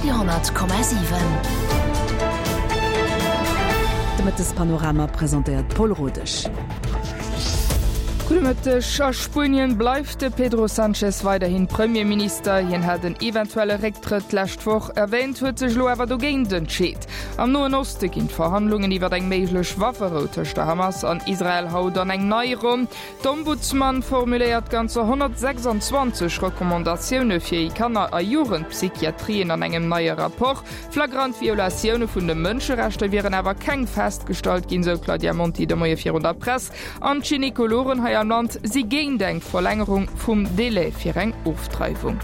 Radio 10,7. De Mëttespanorama presentéiert d'Paul Rodesch. Gudde Mëtteg. A Spuenien bleift de Pedro Sanchez weiderhin Premierminister. Hien hat en eventuelle Récktrëtt d'lescht Woch erwäänt, huet sech elo awer dogéint entscheet. Am Noen Oste ginn d'Verhandlungen iwwer eng méiglech Wafferou tëscht der Hamas an Israel haut an eng nei Ronn. D'Ombudsman formuléiert ganzer 126 Recommandatioune fir Kanner a Jugendpsychiatrien an engem neie Rapport. Flagrant Violatioune vun de Mënscherechter wieren awer keng festgestallt ginn, sou d'Claudia Monti de Moie virun der Press. An d'Gynekologen hei am Land si géint eng Verlängerung vum Delai fir eng Ofdreiwung.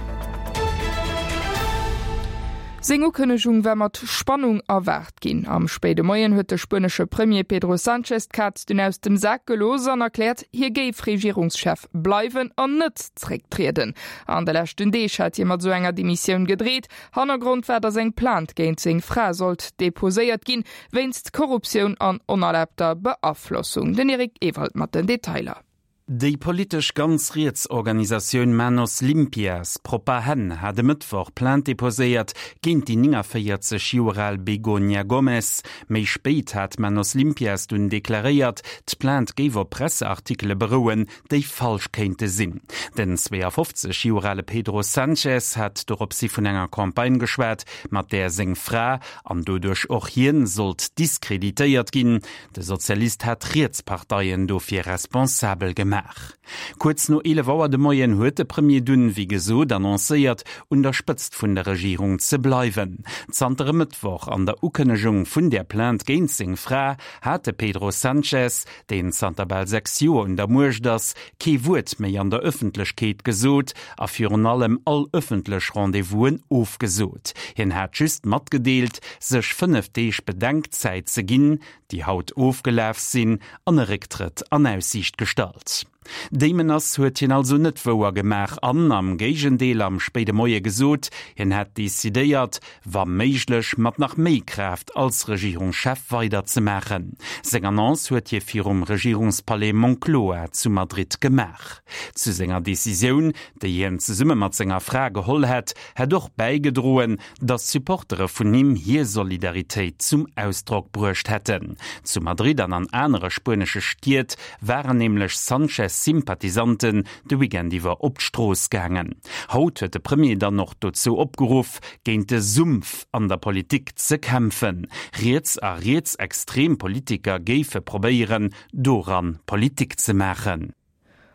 Seng Ukënnegung war mat Spannung erwaart ginn. Am spéide Moien huet de spuenesche Premier Pedro Sanchez d'Kaz dunn aus dem Sak gelooss an erkläert, hie géif Regierungschef bleiwen an net zrécktrieden. An de leschten Deeg hat hie mat esou enger Demissioun gedreet. Hannergrond war, datt eng Plainte géint seng Fra sollt deposéiert ginn, wéinst Korruptioun an onerlaabter Beaflossung. Den Eric Ewald mat den Detailer. Déi politesch ganz riets Organisatioun Manos Limpias, propper Hänn, hat e Mëttwoch Plainte deposéiert géint déi 49 Joer al Begoña Gómez. Méi spéit hat Manos Limpias dunn deklaréiert, d'Plainte géif op Presseartikele berouen, déi falsch kéinte sinn. Den 52 Joer ale Pedro Sánchez hat doropshi vun enger Campagne geschwat, mat där seng Fra, an doduerch och hien, sollt diskreditéiert ginn. De Sozialist hat d'Rietsparteien dofir responsabel gemaach. Kuerz no 11 Auer de Moien huet de Premier dunn, wéi gesot, annoncéiert, un der Spëtzt vun der Regierung ze bleiwen. Zanter e Mëttwoch an der Ukënnegung vun där Plainte géint seng Fra hat de Pedro Sanchez, deen zanter bal 6 Joer un der Muecht ass, kee Wuert méi an der Ëffentlechkeet gesot a virun allem all ëffentlech Rendez-vousen ofgesot. Hien hat just matgedeelt, sech 5 Deeg Bedenkzäit ze ginn, déi haut ofgelaf sinn, an e Récktrëtt an Aussiicht gestallt. Déi Menace huet hien also net wouer gemaach an am Géigendeel am spéide Moie gesot, hien hätt decidéiert, wa méiglech mat nach méi Kraaft als Regierungschef weiderzemaachen. Seng Annonce huet hie virum Regierungspalais Moncloa zu Madrid gemaach. Zu senger Decisioun, déi hien zesumme mat senger Fra geholl hätt, hätt och bäigedroen, datt Supportere vun him hir Solidaritéit zum Ausdrock bruecht hätten. Zu Madrid an an anere spuenesche Stied waren nämlech Sanchez-Sympathisanten de Weekend iwwer op d'Strooss gaangen. Haut huet de Premier dann och dozou opgeruff, géint de Sumpf an der Politik ze kämpfen. Riets a rietsextrem Politiker géife probéieren, doran Politik ze maachen.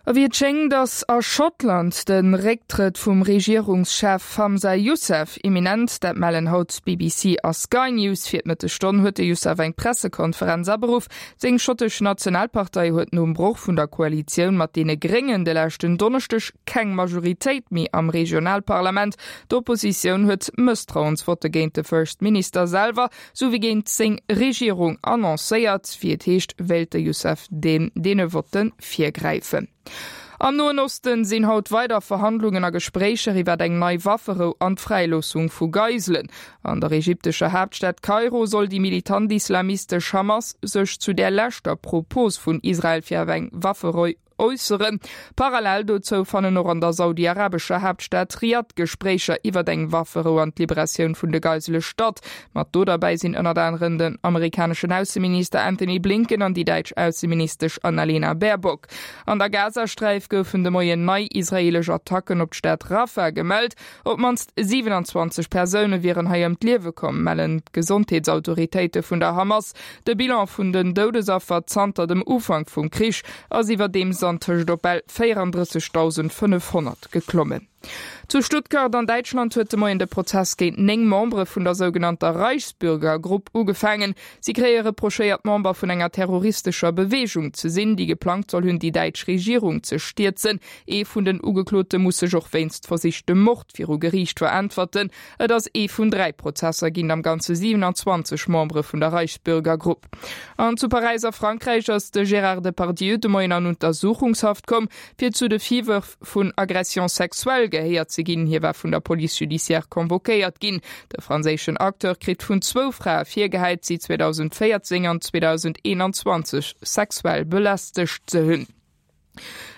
A wéi et schéngt, ass a Schottland de Récktrëtt vum Regierungschef Hamza Yousaf imminent. Dat mellen haut BBC a Sky News. Fir d'Mëttesstonn huet de Yousaf eng Pressekonferenz aberuff. Seng schottesch Nationalpartei huet nom Broch vun der Koalitioun mat deene Gréngen de leschten Donneschdeg keng Majoritéit méi am Regionalparlament. D'Oppositioun huet Mësstrauensvotte géint de First Minister selwer sou wéi géint seng Regierung annoncéiert. Wéi et heescht, wéilt de Yousaf deene Votte virgräifen. Am Noen Osten sinn haut weider Verhandlungen a Gespréicher iwwer eng nei Wafferou an d'Fräiloossung vu Geiselen. An der ägyptescher Haaptstad Kairo soll déi militant islamistesch Hamas sech zu där leschter Propos vun Israel fir eng Wafferou äusseren. Parallel dozou fannen och an der saudi-arabescher Haaptstad Riad Gespréicher iwwert eng Wafferou an d'Liberatioun vun de Geisele statt. Mat do derbäi sinn ënnert aneren den amerikaneschen Ausseminister Antony Blinken an déi däitsch Ausseministesch Annalena Baerbock. An der Gazasträif goufen de Moien nei israeelesch Attacken op d'Stad Rafah gemellt. Op d'mannst 27 Persoune wieren hei ëm d'Liewe komm, mellen d'Gesondheetsautoritéite vun der Hamas. De Bilan vun den Doudesaffer zanter dem Ufank vum Krich ass iwwerdeems antëscht op bal 34.500 geklommen. Zu Stuttgart an Däitschland huet de Moien de Prozess géint 9 Membere vun der sougenannter Reichsbürger-Grupp ugefaangen. Si kréie reprochéiert, Member vun enger terroristescher Beweegung ze sinn, déi geplangt soll hunn, déi däitsch Regierung ze stierzen. Ee vun den Ugeklote muss sech och wéinst versichtem Mord viru Geriicht veräntwerten. Et ass ee vun 3 Prozesser géint am Ganze 27 Membere vun der Reichsbürgergrupp. An zu Paräis a Frankräich ass de Gérard Depardieu de Moien an Untersuchungshaft komm, fir zu de Virwërf vun Agression sexuelle gehéiert ze ginn. Hie war vun der Police judiciaire convoquéiert ginn. De franséischen Acteur kritt vun zwou Frae virgehäit, si 2014 an 2021 sexuell belästegt ze hunn.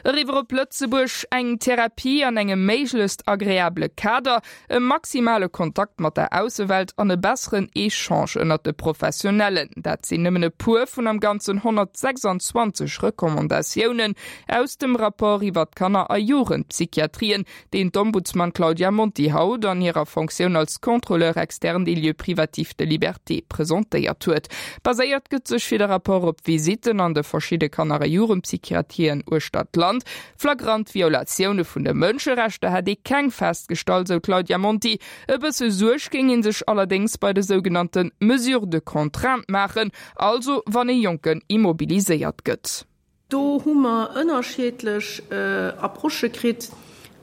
Eriwwer op Lëtzebuerg, Eng Therapie an engem méiglechst agreabele Kader, e maximale Kontakt mat der Aussewelt an e besseren Echange ënnert de Professionellen, dat sinn nëmmen e puer vun am Ganzen 126 Recommandatiounen aus dem Rapport iwwer d'Kanner a Jugendpsychiatrien, deen d'Ombudsman Claudia Monti haut an hirer Fonctioun als Contrôleur externe des lieux privatifs de liberté presentéiert huet. Baséiert gëtt sech fir de Rapport op Visitten an de verschidde Kanner a Jugendpsychiatrien uechter d'Land. Flagrant Violatioune vun de Mënscherechter hätt ee keng festgestallt, sou d'Claudia Monti. E bësse Suerg géing ee sech allerdéngs bei de sougenannte Mesures de contrainte maachen, also wann ee Jonken immobiliséiert gëtt. Do hu mer ënnerschiedlech Approchë kritt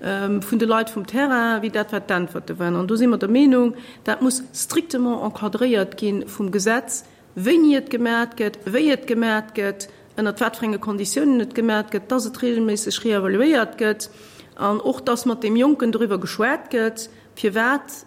vun de Leit vum Terrain, wéi dat wat d'Äntwerte waren. An do si mer der Meenung, dat muss strictement encadréiert gi vum Gesetz, wéini et gemat gëtt, wéi et gemat gëtt, ënnert wat fir enge Konditiounen et gemat gëtt, dass et regelméisseg reevaluéiert gëtt an och dass mat deem Jonken doriwwer geschwat gëtt, firwat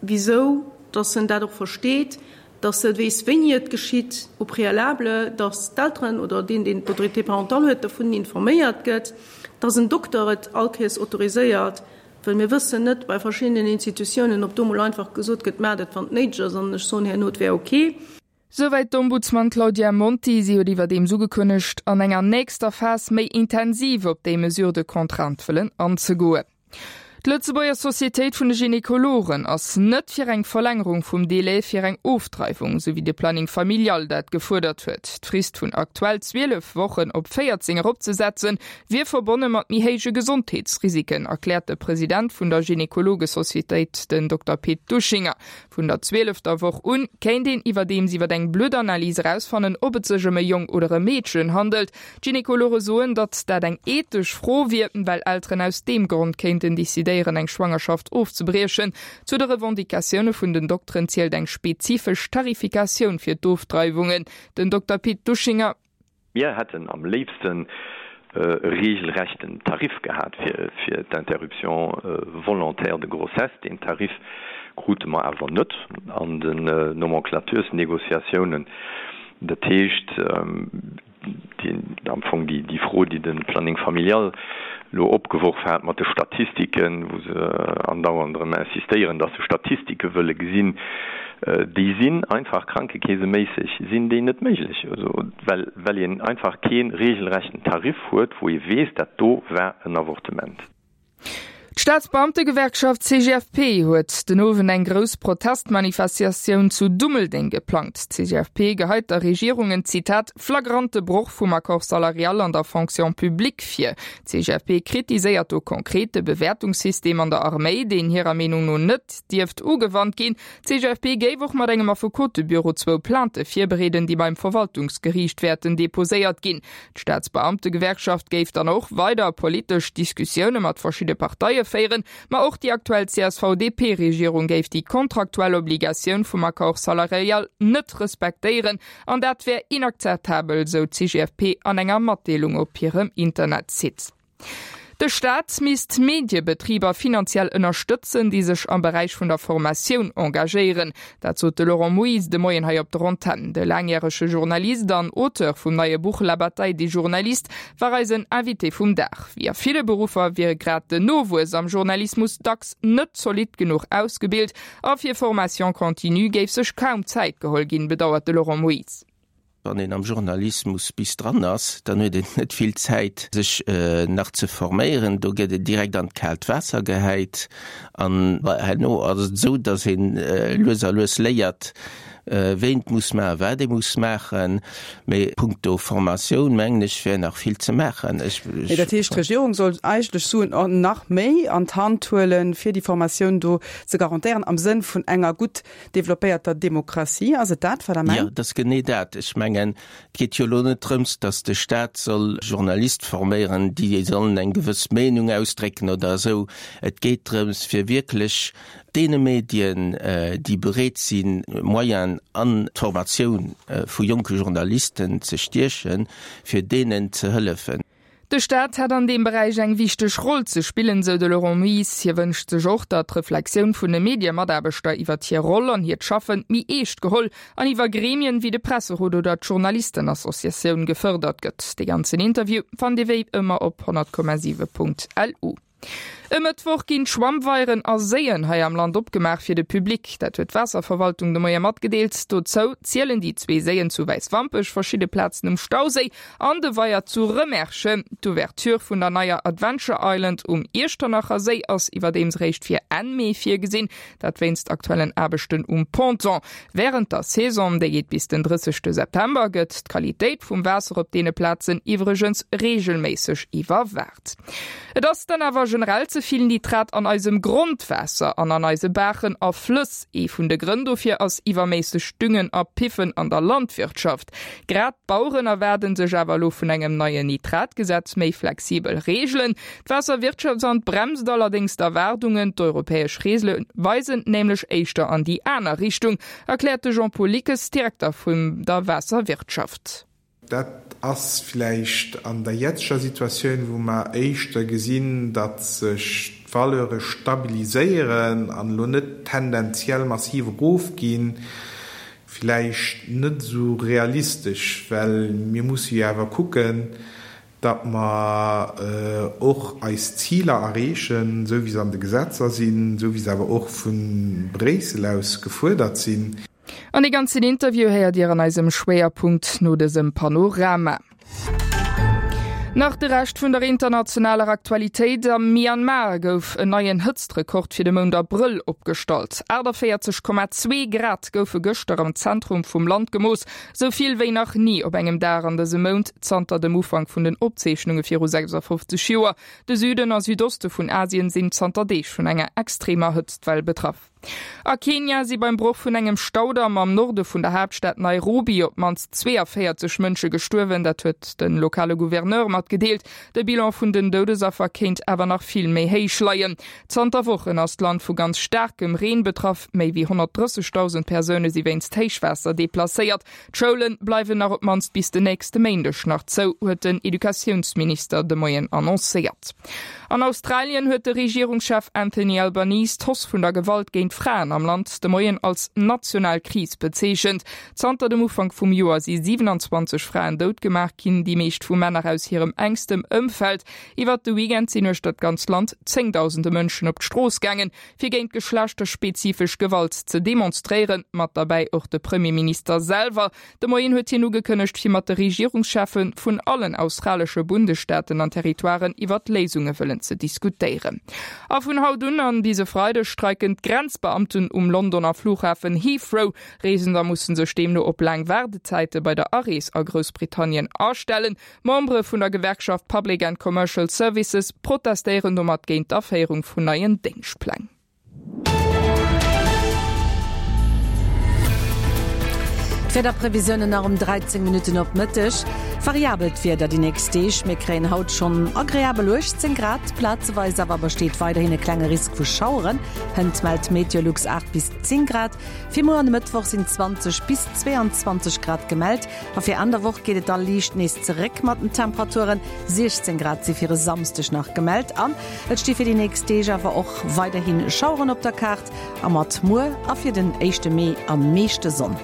Wisou? Dass en dat och versteet, dass e weess, wéini et geschitt, au préalable, dass d'Elteren oder deen, deen d'Autorité parentale huet, dovun informéiert gëtt, dass en Dokter et allkéiers autoriséiert, well mir wëssen net bei verschiddenen Institutiounen, ob do mol einfach gesot gëtt, Maacht et, wann et néideg ass, an ech soen herno, et wär ok. Souwäit d'Ombudsman Claudia Monti. Si huet iwwerdeems ugekënnegt, an enger nächster Phas méi intensiv op déi Mesures de contrainte wëllen anzegoen. D'Lëtzebuerger Societéit vun de Gynekologen ass net fir eng Verlängerung vum Delai fir eng Ofdreiwung, sou wéi de Planning familial dat gefuerdert huet. D'Frist vun aktuell 12 Wochen op 14 eropzesetzen, wier verbonne mat méi héije Gesondheetsrisiken, erkläert de President vun der Gynekologesocietéit, den Dokter Pit Duschinger. Vun der zwielefter Woch un kéint een iwwerdeems iwwer eng Bluttanalys erausfannen, ob et sech ëm e Jong oder e Meedchen handelt. D'Gynekologe soen, datt dat eng ethesch Fro wier, well Elteren aus deem Grond kéinten decidéieren, eng Schwangerschaft ofzebriechen. Zu de Revendicatioune vun den Dokteren zielt eng spezifesch Tarifikatioun fir d'Ofdreiwungen. Den Dokter Pit Duschinger. Mir hätten am léifsten e regelrechten Tarif gehat fir d'Interruption volontaire de grossesse. Deen Tarif krute mer awer net an den Nomenclaturesnégociatiounen. Dat heescht, am Fong déi Fro, déi de Planning familial elo opgeworf hat mat de Statistiken, wou se andauernd erëm insistéieren, dass se Statistike wëlle gesinn, déi sinn einfach krankekeeseméisseg sinn déi net méiglech, well well een einfach kee regelrechten Tarif huet, wou ee weess, dat do war en Avortement. D'Staatsbeamtegewerkschaft CGFP huet den Owend eng grouss Protestmanifestatioun zu Dummeldeng geplangt. D'CGFP geheit der Regierung en, Zitat, flagrante Broch vum Accord salarial an der Fonction publique vir. D'CGFP kritiséiert do konkret de Bewäertungssystem an der Arméi, deen hirer Meenung no net dierft ugewannt ginn. D'CGFP géif och mat engem Affekotebüro zwou Plainte virbereeden, déi beim Verwaltungsgeriicht wäerten deposéiert ginn. D'Staatsbeamtegewerkschaft géif dann och weider politesch Diskussioune mat verschidde Parteie féieren, ma och déi aktuell CSV-DP-Regierung géif déi kontraktuell Obligatioun vum Accord salarial net respektéieren an dat wär inakzeptabel, sou d'CGFP an enger Matdeelung op hirem Internetsite. De Staat misst Mediebetriber finanziell ënnerstëtzen, déi sech am Beräich vun der Formatioun engagéieren. Dat sot de Laurent Moyse de Moien hei op der Antenn. De laangjärege Journalist an Auteur vum neie Buch La bataille des journalistes war eisen Invité vum Dag. Wéi a ville Beruffer wier grad den Nowuess am Journalismus dacks net zolidd genuch ausgebilt a fir Formation continue géif sech kaum Zäit geholl ginn, bedauert de Laurent Moyse. Wann een am Journalismus bis dran ass, dann huet een net vill Zäit, sech nach ze forméieren. Do gëtt een direkt an d'kaalt Waasser gehäit. An herno ass et esou, datt een lues a lues léiert, wéi een et muss maachen, wat ee muss maachen. Mee punkto Formatioun, mengen ech, wär nach vill ze maachen. Mee dat heescht, d'Regierung soll eigentlech Suen nach méi an d'Hand huelen, fir déi Formatioun do ze garantéieren, am Sënn vun enger gutt Developpéierter Demokratie, ass et dat, wat Der mengt? Jo, et ass genee dat. Ech mengen, et geet jo elo net drëms, datt de Staat soll Journaliste forméieren, déi sollen eng gewëss Meenung ausdrécken oder esou. Et geet drëms, fir wierklech deene Medien, déi bereet sinn, Moyenen an d'Formatioun vu jonke Journalisten ze stiechen, fir deenen ze hëllefen. De Staat hätt an deem Beräich eng wichteg Roll ze spillen, sou de Laurent Moyse. Hie wënscht sech och, datt d'Reflexioun vun de Mediemataarbechter iwwert hir Roll an hiert Schaffen méi eescht geholl an iwwer Gremien wéi de Presserot oder d'Journalistenassociatioun gefërdert gëtt. De ganzen Interview fannt Dir wéi ëmmer op 100,7.lu. E Mëttwoch ginn d'Schwammweieren a Séien hei am Land opgemaach fir de Public. Dat huet d'Waasserverwaltung de Moie matgedeelt. Dozou zielen déi zwee Séien zu Wäiswampech, verschidde Plazen um Stauséi an de Weier zu Rëmerschen. D'Ouverture vun der neier Adventure Island um Iechternacher Séi ass iwwerdeems eréischt fir Enn Mee virgesinn, dat wéinst aktuellen Aarbechten um Ponton. Wärend der Saison, déi geet bis den 30 September, gëtt d'Qualitéit vum Waasser op deene Plazen iwwregens reegelméisseg iwwerwaacht. Et ass dann awer generell ze vill Nitrat an eisem Grondwaasser an an eise Baachen a Flëss. Ee vun de Grënn dofir ass iwwerméissegt Düngen a Piffen an der Landwirtschaft. Grad d'Baueren erwaarden sech awer elo vun engem neien Nitratgesetz méi flexibel Reegelen. D'Waasserwirtschaftsamt bremst allerdéngs d'Erwaardungen. D'europäesch Reegele weisen nämlech éischter an déi aner Richtung, erkläert de Jean-Paul Lickes, Direkter vun der Waasserwirtschaft. Dat ass vläicht an der jetzeger Situatioun, wou mer éischter gesinn, datt sech d'Valeure stabiliséieren an elo net tendenziell massiv erofginn, vläicht net esou realistesch, well mir musse jo awer kucken, datt mer och eis Ziler erreechen, esou wéi se an de Gesetzer sinn, esou wéi se awer och vu Bréissel aus gefuerdert sinn. An dee ganzen Interview héiert Dir an eisem Schwéierpunkt no dësem Panorama. Nach de Rescht vun der internationaler Aktualitéit, Am Myanmar gouf en neien Hëtztrekord fir de Mount Abrëll opgestallt. 48,2 Grad goufe gëschter am Zentrum vum Land gemooss, sou vill wéi nach ni op engem Dag an dësem Mount zanter dem Ufank vun den Opzeechnunge viru 56 Joer. De Süden a Südoste vun Asien sinn zanter Deeg vun enger extremer Hëtztwell betraff. A Kenia si beim Broch vun engem Staudamm am Norde vun der Haaptstad Nairobi op d'mannst 42 Mënsche gestuerwen. Dat huet de lokale Gouverneur matgedeelt. De Bilan vun den Doudesaffer kéint awer nach vill méi héich leien. Zanter Wochen ass d'Land vu ganz staarkem Reen betraff. Méi wéi 130.000 Persoune si wéinst Héichwaasser deplacéiert. D'Schoule bleiwen nach op d'mannst bis den nächste Méindeg nach zou, huet den Educatiounsminister de Moien annoncéiert. An Australien huet de Regierungschef Anthony Albanese d'Hausse vun der Gewalt géint Fraen am Land de Moien als national Kris bezeechent. Zanter dem Ufank vum Joer si 27 Fraen dout gemaach ginn, déi meescht vu Männer aus hirem enkstem Ëmfeld. Iwwert de Weekend sinn uechter d'ganz Land zéngdausende Mënschen op d'Strooss gaangen, fir géint geschlechterspezifesch Gewalt ze demonstréieren, mat derbäi och de Premierminister selwer. De Moien huet hien ugekënnegt, fir mat de Regierungscheffe vun allen australesche Bundesstaaten an Territoiren iwwert Léisunge wëllen ze diskutéieren. A vun haut un an bis e Freideg streiken d'Grenzbeamten um Londoner Flughafen Heathrow. Reesender musse sech deemno op laang Waardezäite bei der Arees a Groussbritannien astellen. Membere vun der Gewerkschaft Public and Commercial Services protestéieren domat géint d'Aféierung vun neien Déngschtpläng. D'Wiederprevisiounen nach um 13 Minutten op Mëtteg. Variabelt Wieder déi nächst Deeg, mir kréien haut schonn agreabel 18 Grad, plazeweis awer besteet weiderhin e klenge Risk vu Schaueren. Hënt mellt Meteolux 8 bis 10 Grad. Fir muer an e Mëttwoch sinn 20 bis 22 Grad gemellt. A fir Enn der Woch geet et da liicht nees zeréck mat den Temperaturen. 16 Grad si fir e Samsdeg nach gemellt an et sti fir déi nächst Deeg awer och weiderhi Schaueren op der Kaart a mat muer a fir den éischte Mee am meeschte Sonn.